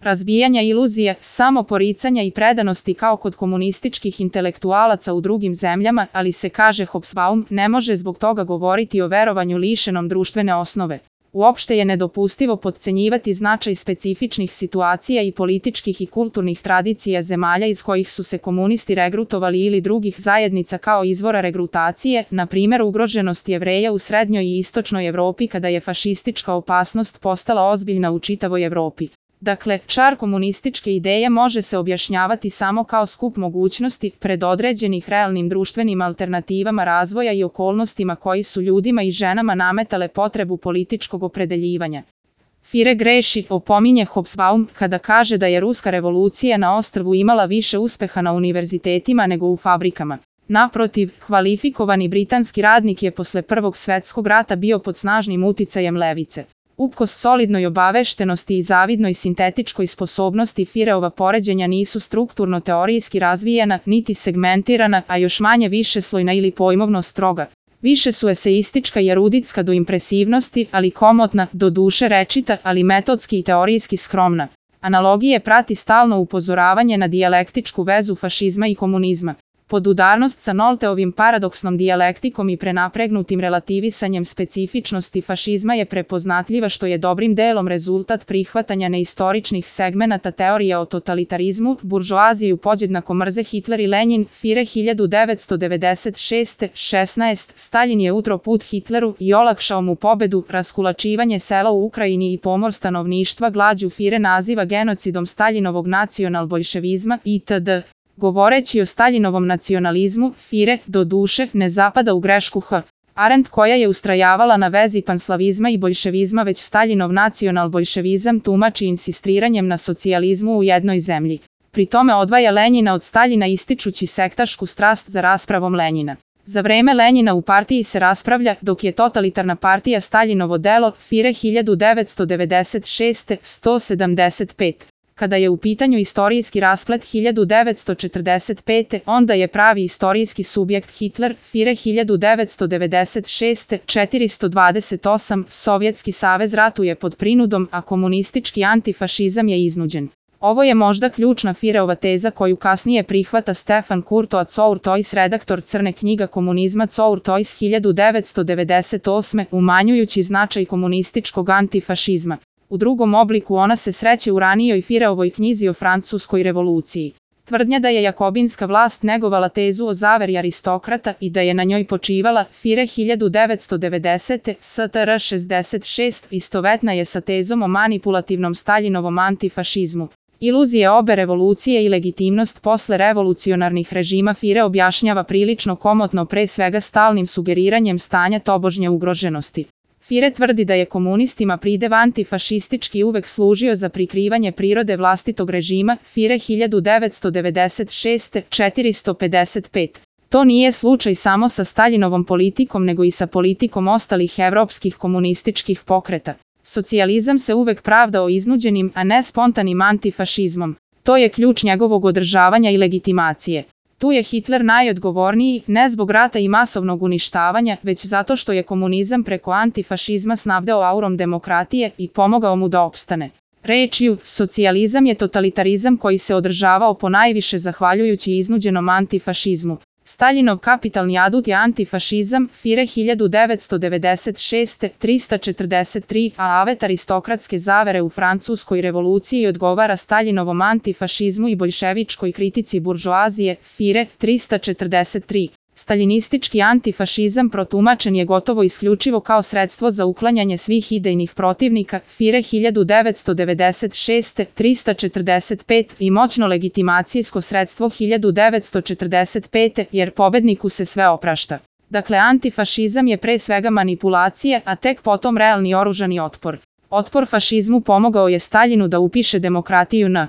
razbijanja iluzije, samoporicanja i predanosti kao kod komunističkih intelektualaca u drugim zemljama, ali se, kaže Hobsbawm, ne može zbog toga govoriti o verovanju lišenom društvene osnove. Uopšte je nedopustivo potcenjivati značaj specifičnih situacija i političkih i kulturnih tradicija zemalja iz kojih su se komunisti regrutovali ili drugih zajednica kao izvora regrutacije, na primjer ugroženost Jevreja u srednjoj i istočnoj Evropi kada je fašistička opasnost postala ozbiljna u čitavoj Evropi. Dakle, čar komunističke ideje može se objašnjavati samo kao skup mogućnosti predodređenih realnim društvenim alternativama razvoja i okolnostima koji su ljudima i ženama nametale potrebu političkog opredeljivanja. Führer greši, opominje Hobsbawm, kada kaže da je ruska revolucija na ostrvu imala više uspeha na univerzitetima nego u fabrikama. Naprotiv, kvalifikovani britanski radnik je posle Prvog svjetskog rata bio pod snažnim uticajem levice. Uprkos solidnoj obaveštenosti i zavidnoj sintetičkoj sposobnosti Führerova poređenja nisu strukturno teorijski razvijena, niti segmentirana, a još manje višeslojna ili pojmovno stroga. Više su eseistička i eruditska do impresivnosti, ali komotna, do duše rečita, ali metodski i teorijski skromna. Analogije prati stalno upozoravanje na dijalektičku vezu fašizma i komunizma. Podudarnost sa Nolteovim paradoksnom dijalektikom i prenapregnutim relativisanjem specifičnosti fašizma je prepoznatljiva, što je dobrim delom rezultat prihvatanja neistoričnih segmenata teorije o totalitarizmu. Buržoaziju podjednako mrze Hitler i Lenin. Führer 1996-16. Stalin je utro put Hitleru i olakšao mu pobedu. Raskulačivanje sela u Ukrajini i pomor stanovništva glađu Führer naziva genocidom Staljinovog nacionalboljševizma itd. Govoreći o Staljinovom nacionalizmu, Führer, do duše, ne zapada u grešku H. Arendt, koja je ustrajavala na vezi panslavizma i boljševizma, već Staljinov nacionalboljševizam tumači insistiranjem na socijalizmu u jednoj zemlji. Pri tome odvaja Lenjina od Staljina ističući sektašku strast za raspravom Lenjina. Za vreme Lenjina u partiji se raspravlja, dok je totalitarna partija Staljinovo delo. Führer 1996. 175. Kada je u pitanju istorijski rasplet 1945. onda je pravi istorijski subjekt Hitler. Führer 1996. 428. Sovjetski savez ratuje pod prinudom, a komunistički antifašizam je iznuđen. Ovo je možda ključna Führerova teza koju kasnije prihvata Stefan Courtois Courtois, redaktor Crne knjiga komunizma Courtois 1998. umanjujući značaj komunističkog antifašizma. U drugom obliku ona se sreće u ranijoj Führerovoj knjizi o Francuskoj revoluciji. Tvrdnja da je jakobinska vlast negovala tezu o zaveri aristokrata i da je na njoj počivala. Führer 1990. STR 66. istovetna je sa tezom o manipulativnom Staljinovom antifašizmu. Iluzije obe revolucije i legitimnost posle revolucionarnih režima Führer objašnjava prilično komotno, pre svega stalnim sugeriranjem stanja tobožnje ugroženosti. Führer tvrdi da je komunistima pridev antifašistički uvek služio za prikrivanje prirode vlastitog režima. Führer 1996. 455. To nije slučaj samo sa Staljinovom politikom nego i sa politikom ostalih evropskih komunističkih pokreta. Socijalizam se uvek pravdao iznuđenim, a ne spontanim antifašizmom. To je ključ njegovog održavanja i legitimacije. Tu je Hitler najodgovorniji, ne zbog rata i masovnog uništavanja, već zato što je komunizam preko antifašizma snabdeo aurom demokratije i pomogao mu da opstane. Rečju, socijalizam je totalitarizam koji se održavao ponajviše zahvaljujući iznuđenom antifašizmu. Staljinov kapitalni adut je antifašizam. Führer 1996. 343. a avet aristokratske zavere u Francuskoj revoluciji odgovara Staljinovom antifašizmu i boljševičkoj kritici buržoazije. Führer 343. Staljinistički antifašizam protumačen je gotovo isključivo kao sredstvo za uklanjanje svih idejnih protivnika. Führer 1996. 345. i moćno legitimacijsko sredstvo 1945. jer pobedniku se sve oprašta. Dakle, antifašizam je pre svega manipulacija, a tek potom realni oružani otpor. Otpor fašizmu pomogao je Staljinu da upiše demokratiju na